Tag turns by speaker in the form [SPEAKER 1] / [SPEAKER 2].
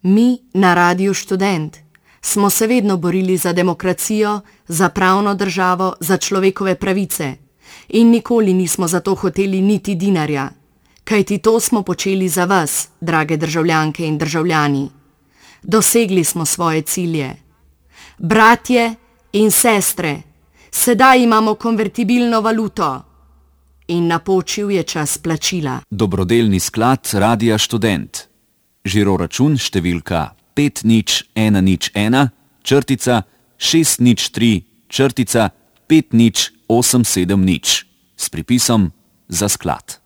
[SPEAKER 1] Mi na Radiu Študent smo se vedno borili za demokracijo, za pravno državo, za človekove pravice in nikoli nismo za to hoteli niti dinarja, kajti to smo počeli za vas, drage državljanke in državljani. Dosegli smo svoje cilje. Bratje in sestre, sedaj imamo konvertibilno valuto in napočil je čas plačila.
[SPEAKER 2] Dobrodelni sklad Radia Študent. Žiroračun številka 5011-603-5087 s pripisom za sklad.